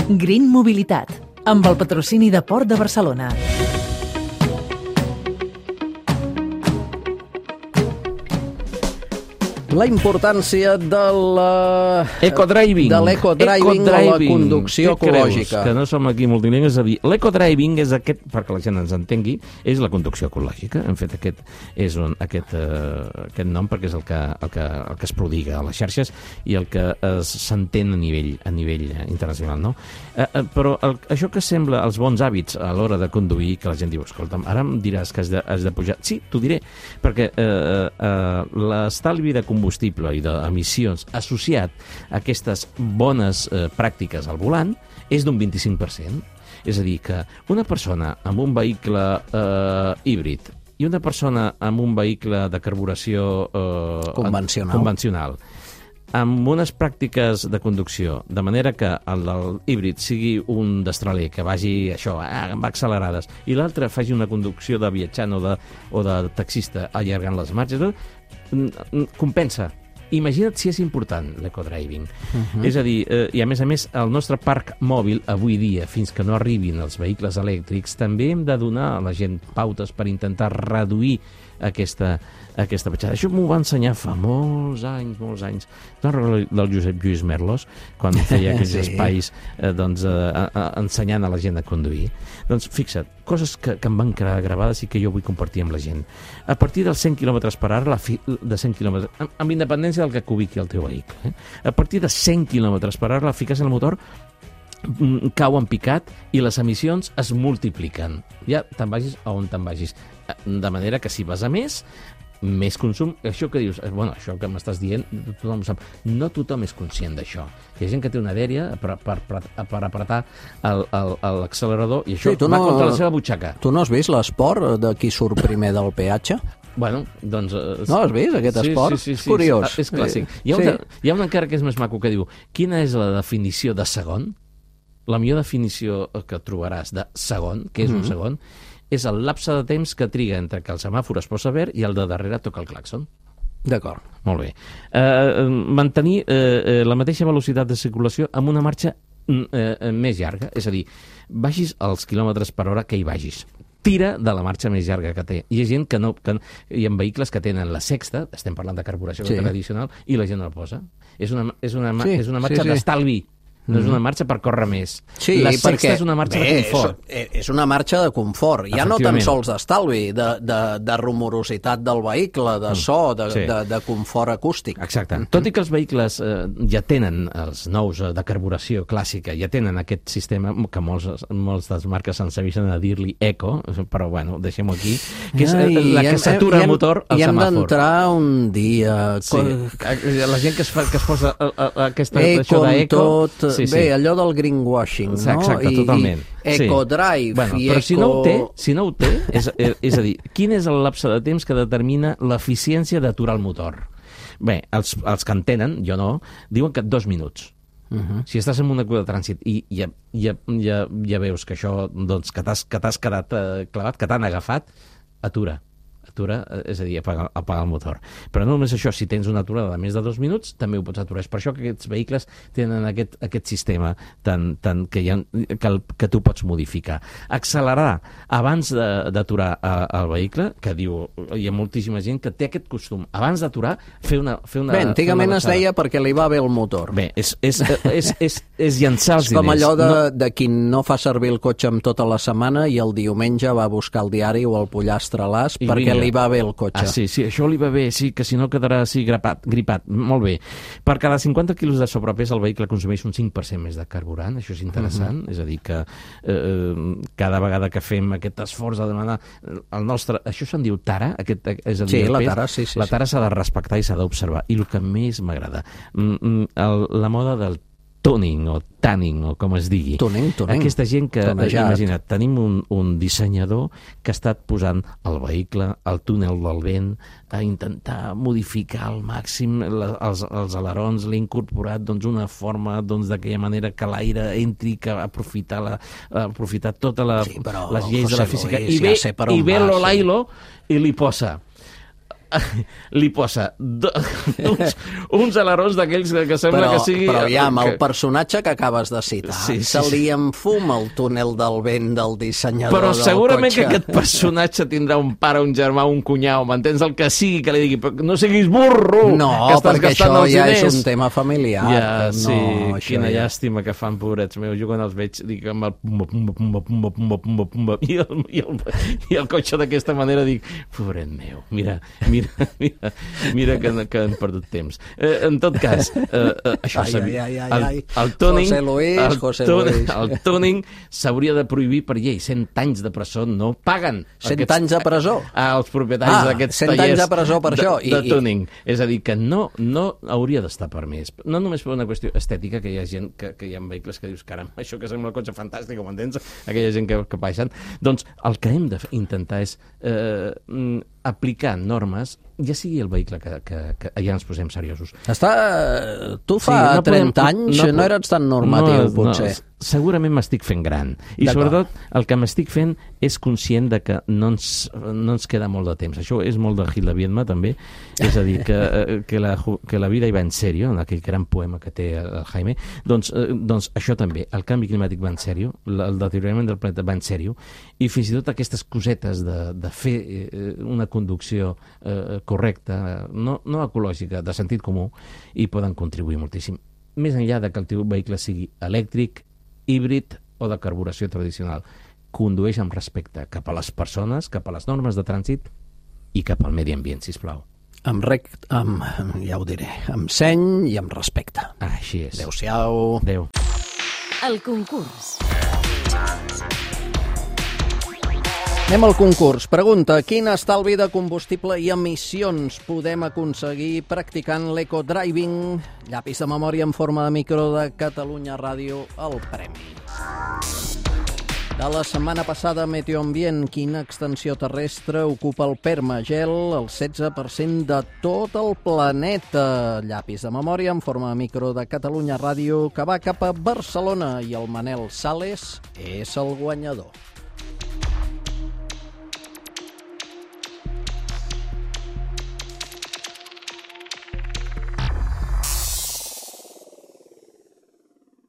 Green Mobilitat, amb el patrocini de Port de Barcelona. La importància de l'ecodriving o la conducció ecològica. Que no som aquí multilingües, és a dir, l'ecodriving és aquest, perquè la gent ens entengui, és la conducció ecològica. Hem fet aquest nom perquè és el que es prodiga a les xarxes i el que s'entén a nivell internacional, no? Però això que sembla els bons hàbits a l'hora de conduir, que la gent diu, escolta'm, ara em diràs que has de pujar. Sí, t'ho diré, perquè l'estalvi de combustible i d'emissions associat a aquestes bones pràctiques al volant és d'un 25%. És a dir, que una persona amb un vehicle híbrid i una persona amb un vehicle de carburació convencional amb unes pràctiques de conducció, de manera que el del híbrid sigui un destraler que vagi amb accelerades, i l'altre faci una conducció de viatjant o de taxista allargant les marxes, compensa. Imagina't si és important l'ecodriving. És a dir, i a més, el nostre parc mòbil, avui dia, fins que no arribin els vehicles elèctrics, també hem de donar a la gent pautes per intentar reduir aquesta petjada. Això m'ho va ensenyar fa molts anys. Del Josep Lluís Merlos, quan feia aquells espais ensenyant a la gent a conduir. Doncs fixa't, coses que em van quedar gravades i que jo vull compartir amb la gent. A partir dels 100 km per hora, de 100 km, amb independència del que ubiqui el teu vehicle, a partir de 100 km per hora, la fiques en el motor, cau en picat i les emissions es multipliquen. Ja te'n vagis a on te'n vagis. De manera que si vas a més consum. Això que dius, això que m'estàs dient, tothom ho sap. No tothom és conscient d'això. Hi ha gent que té una dèria per apretar l'accelerador i això va contra la seva butxaca. Tu no has vist l'esport de qui surt primer del peatge? Bueno, doncs... No has vist aquest esport? Sí. És curiós. És clàssic. Hi ha un encara que és més maco que diu: quina és la definició de segon? La millor definició que trobaràs de segon, que és un segon, és el lapse de temps que triga entre que el semàfor es posa verd i el de darrere toca el clàxon. D'acord. Molt bé. Mantenir la mateixa velocitat de circulació amb una marxa més llarga, és a dir, vagis als quilòmetres per hora que hi vagis. Tira de la marxa més llarga que té. Hi ha gent que no... Hi ha vehicles que tenen la sexta, estem parlant de carburació tradicional, i la gent no la posa. És una marxa d'estalvi. No és una marxa per córrer més. Sí, la sexta és una marxa de confort. És una marxa de confort. Ja no tan sols d'estalvi, de rumorositat del vehicle, de so, de confort acústic. Exacte. Tot i que els vehicles ja tenen, els nous de carburació clàssica, ja tenen aquest sistema, que molts de les marques s'ensavisen a dir-li eco, però bueno, deixem-ho aquí, que és la que s'atura el motor al semàfor. I hem d'entrar un dia... La gent que es posa això d'eco... Bé, allò del greenwashing, no? Exacte, totalment. I ecodrive i però si no ho té, és a dir, quin és el lapse de temps que determina l'eficiència d'aturar el motor? Bé, els que en tenen, jo no, diuen que 2 minuts. Si estàs en una cua de trànsit i ja veus que això, doncs, que t'has quedat clavat, que t'han agafat, atura, és a dir, apagar el motor. Però no només això, si tens una aturada de més de 2 minuts, també ho pots aturar. És per això que aquests vehicles tenen aquest sistema que tu pots modificar. Accelerar abans d'aturar el vehicle, que diu, hi ha moltíssima gent que té aquest costum. Abans d'aturar, fer una Bé, antigament es deia perquè li va bé el motor. Bé, és llançar els diners. És com allò de qui no fa servir el cotxe amb tota la setmana i el diumenge va a buscar el diari o el pollastre a l'as perquè li va bé el cotxe. Sí, això li va bé, sí, que si no quedarà així gripat. Molt bé. Per cada 50 quilos de sobrepès el vehicle consumeix un 5% més de carburant, això és interessant, és a dir que cada vegada que fem aquest esforç de demanar el nostre... Això se'n diu tara? És a dir, la tara, sí. La tara s'ha de respectar i s'ha d'observar. I el que més m'agrada, la moda del tuning o tanning o com es digui. Tuning. Aquesta gent que, imagina't, tenim un dissenyador que ha estat posant el vehicle, el túnel del vent, a intentar modificar al màxim els alerons, l'ha incorporat una forma d'aquella manera que l'aire entri, que aprofitar totes les lleis de la física. I ve l'Olailo i li posa li posa uns alerons d'aquells que sembla que sigui... Però ja, amb el personatge que acabes de citar, se li enfuma el túnel del vent del dissenyador del cotxe. Però segurament que aquest personatge tindrà un pare, un germà, un cunyau, m'entens, el que sigui, que li digui, no siguis burro, no, que estàs gastant els diners. Ja és un tema familiar. Ja, sí, quina llàstima que fan, pobrets meus. Jo quan els veig dic amb el pumba, i el cotxe d'aquesta manera dic, pobret meu, mira que han perdut temps. En tot cas, això el tuning s'hauria de prohibir per llei. 100 anys de presó no paguen. 100 anys de presó? Els propietaris d'aquests tallers 100 anys de presó per això. De tuning. És a dir, que no hauria d'estar permès. No només per una qüestió estètica, que hi ha gent, que hi ha vehicles que dius, caram, això que sembla un cotxe fantàstic, ho entens? Aquella gent que baixen. Doncs el que hem d'intentar és aplicar normes, ja sigui el vehicle que ja ens posem seriosos. Tu fa 30 anys no eres tan normatiu, potser. Segurament m'estic fent gran. I sobretot el que m'estic fent és conscient de que no ens queda molt de temps. Això és molt de Gil de Viedma, també. És a dir, que la vida hi va en sèrio, en aquell gran poema que té el Jaime. Doncs això també. El canvi climàtic va en sèrio, el deteriorament del planeta va en sèrio, i fins i tot aquestes cosetes de fer una conducció correcta, no ecològica, de sentit comú, hi poden contribuir moltíssim. Més enllà que el teu vehicle sigui elèctric, híbrid o de carburació tradicional. Condueix amb respecte cap a les persones, cap a les normes de trànsit i cap al medi ambient, sisplau. Ja ho diré, amb seny i amb respecte. Així és. Adéu-siau. Adéu. El concurs. Anem al concurs. Pregunta, quin estalvi de combustible i emissions podem aconseguir practicant l'ecodriving? Llapis de memòria en forma de micro de Catalunya Ràdio, el premi. De la setmana passada, Meteoambient, quina extensió terrestre ocupa el permagel, el 16% de tot el planeta? Llapis de memòria en forma de micro de Catalunya Ràdio, que va cap a Barcelona, i el Manel Sales és el guanyador.